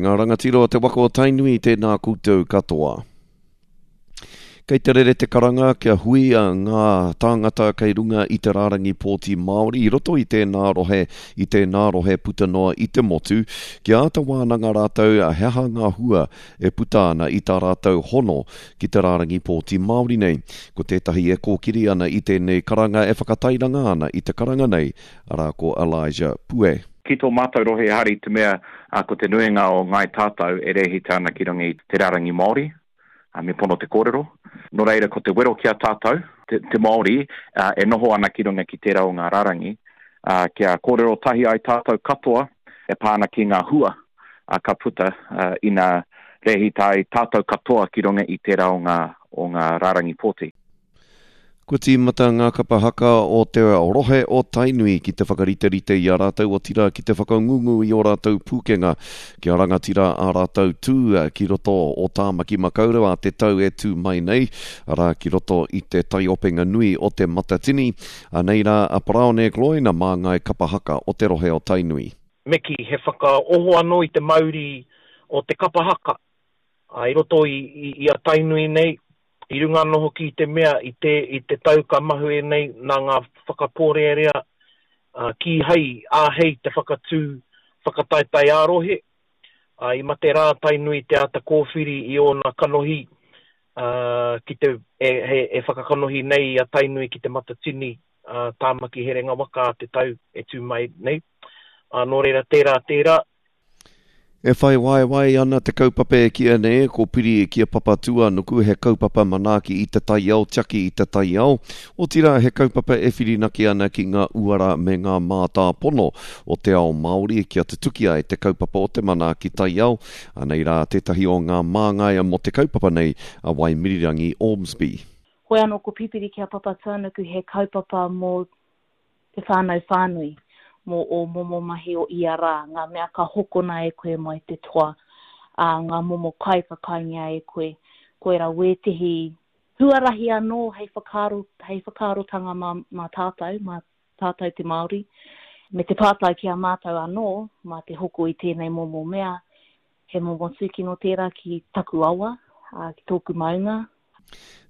ngā rangatira o te waka o Tainui, tēnā koutou katoa. Kei te rere te karanga kia huia ngā tāngata kei runga i te rārangi pōti Māori i roto i tēnā rohe, i tēnā rohe puta noa i te motu, kia āta wānanga rātou he aha ngā hua e puta ana i tā rātou hono ki te rārangi pōti Māori nei. Ko tētahi e kōkiri ana i tēnei karanga e whakatairanga ana i te karanga nei, arā ko Elijah Pue. Ki tō mātou rohe ehara i te mea ko te nuinga o Ngāi Tātou e rēhita ana ki runga i te rārangi Māori, me pono te kōrero. Nō reira ko te wero ki a tātou, te, te Māori, e noho ana ki runga ki tērā o ngā rārangi, kia kōrero tahi ai tātou katoa e pā ana ki ngā hua ka puta ina rēhita ai tātou katoa ki runga i tērā o ngā, o ngā rārangi pōti. Kua tīmata ngā kapa haka o te rohe o Tainui ki te whakariterite i a rātou otirā ki te whakangungu i ō rātou pūkenga kia rangatira ā rātou tū ki roto o Tāmaki Makaurau ā te tau e tū mai nei, arā ki roto i te taiopenga nui o Te Matatini. Anei rā a Paraone Gloyne, māngai kapa haka o te rohe o Tainui. Me kī, he whakaoho anō i te mauri o te kapa haka i roto i a Tainui nei, I runga anō hoki i te mea i te, i te tau ka mahue nei nā ngā whakapōrearea, ā, kīhai i āhei te whakatū whakataetae ā-rohe, ā, i mate rā Tainui te āta kōwhiri i ōna kanohi, ā, ki te, e, he, e whakakanohi nei i a Tainui ki Te Matatini, ā, Tāmaki Herenga Waka ā te tau e tū mai nei. Ā, nō reira, tērā, tērā. E whai waewae ana te kaupapa e kīia nei ko Piri ki a Papatūānuku, he kaupapa manaaki i te taiao, tiaki i te taiao, otirā he kaupapa e whirinaki ana ki ngā uara me ngā mātāpono o te ao Māori kia tutuki ai te kaupapa o te manaaki taiao. Anei rā tētahi o ngā māngai mō te kaupapa nei, a Waimirirangi Ormsby. Hoi anō ko Pipiri ki a Papatūānuku he kaupapa mō te whānau whānui, mō ō momo mahi o ia rā, ngā mea ka hokona e koe mai te toa, ā, ngā momo kai ka kaingia e koe. Koirā wētehi huarahi anō hei whakaaro, hei whakaarotanga mā, mā tātou, mā tātou te Māori, me te pātai ki a mātou anō, mā te hoko i tēnei momo mea, he momo tūkino tērā ki taku awa, ā, ki tōku maunga.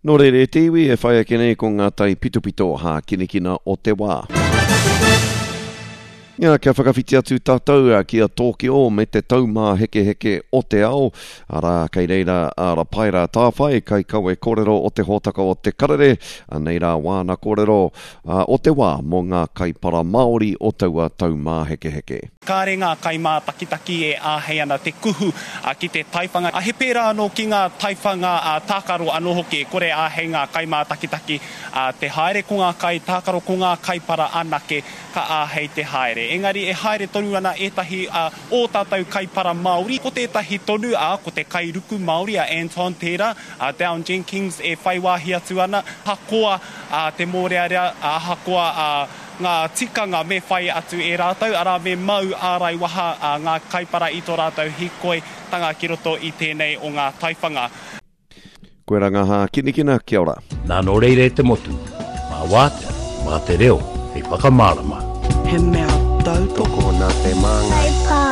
Nō reira e te iwi, e whai ake nei ko ngā tai pitopito hākinakina o te wā. Ia, kia whakawhiti atu tātou ki a Tōkio me te Taumāhekeheke o te Ao, arā, kei reira a Rapaera Tāwhai, kaikawe kōrero o te hōtaka o Te Karere, anei rā wāna kōrero o te wā mō ngā kaipara Māori o taua Taumāhekeheke. Kāre ngā kaimātakitaki e āhei ana te kuhu ki te taiwhanga. He pērā anō ki ngā taiwhanga tākaro anō hoki, e kore āhei ngā kaimātakitaki te haere, ko ngā kaitākaro, ko ngā kaipara anake ka āhei te haere. Engari e haere tonu ana ētahi ō tātou kaipara Māori, ko tētahi tonu, ā, ko te kairuku Māori a Anton tērā, a Down Jenkins e whai wāhi atu ana, ahakoa te mōrearea, ahakoa ngā tikanga me whai atu e rātou, arā, me mau ārai waha ngā kaipara i tō rātou hīkoitanga ki roto i tēnei o ngā taiwhanga. Koe ra nga hākinakina, kia ora. Nā nō reira e te motu, mā wātea, mā te reo hei whakamārama. He mea tautoko nā te māngai.